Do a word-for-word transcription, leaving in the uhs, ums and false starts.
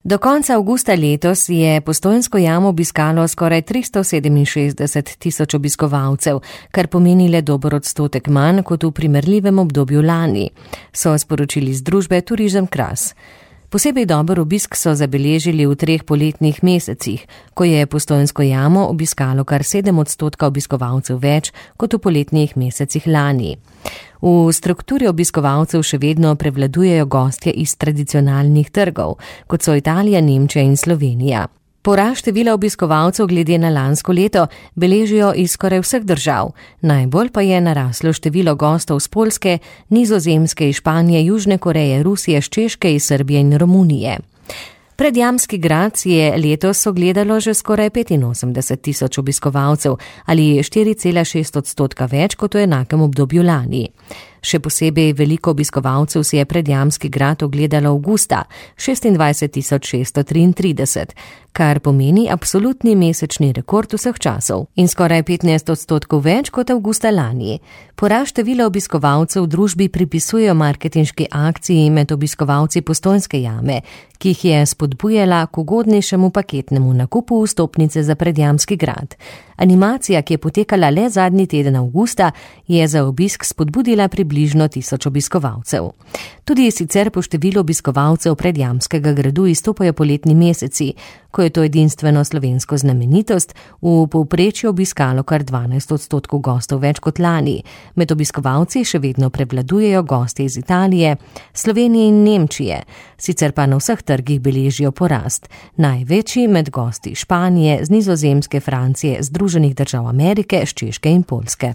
Do konca avgusta letos je Postojnsko jamo obiskalo skoraj tristo sedeminšestdeset tisoč obiskovalcev, kar pomeni le dober odstotek manj kot v primerljivem obdobju lani, so sporočili z družbe Turizem Kras. Posebej dober obisk so zabeležili v treh poletnih mesecih, ko je Postojnsko jamo obiskalo kar sedem odstotka obiskovalcev več kot v poletnih mesecih lani. V strukturi obiskovalcev še vedno prevladujejo gostje iz tradicionalnih trgov, kot so Italija, Nemčija in Slovenija. Porast števila obiskovalcev glede na lansko leto beležijo iz skoraj vseh držav, najbolj pa je naraslo število gostov z Poljske, Nizozemske, iz Španije, Južne Koreje, Rusije, z Češke, iz Srbije in Romunije. Predjamski grad je letos ogledalo že skoraj petinosemdeset tisoč obiskovalcev ali štiri cela šest odstotka več kot v enakem obdobju lani. Še posebej veliko obiskovalcev si je Predjamski grad ogledalo avgusta, šestindvajset tisoč šeststo triintrideset, kar pomeni absolutni mesečni rekord vseh časov in skoraj petnajst odstotkov več kot avgusta lani. Porast števila obiskovalcev v družbi pripisujejo marketinški akciji med obiskovalci Postojnske jame, ki jih je spodbujala k ugodnejšemu paketnemu nakupu vstopnice za Predjamski grad. Animacija, ki je potekala le zadnji teden avgusta, je za obisk spodbudila približno tisoč obiskovalcev. Tudi sicer po številu obiskovalcev Predjamskega gradu izstopajo poletni meseci, ko je to edinstveno slovensko znamenitost v povprečju obiskalo kar dvanajst odstotkov gostov več kot lani. Med obiskovalci še vedno prevladujejo gostje iz Italije, Slovenije in Nemčije, sicer pa na vseh trgih beležijo porast. Največji med gosti Španije, z Nizozemske, Francije, Združenih držav Amerike, z Češke in Poljske.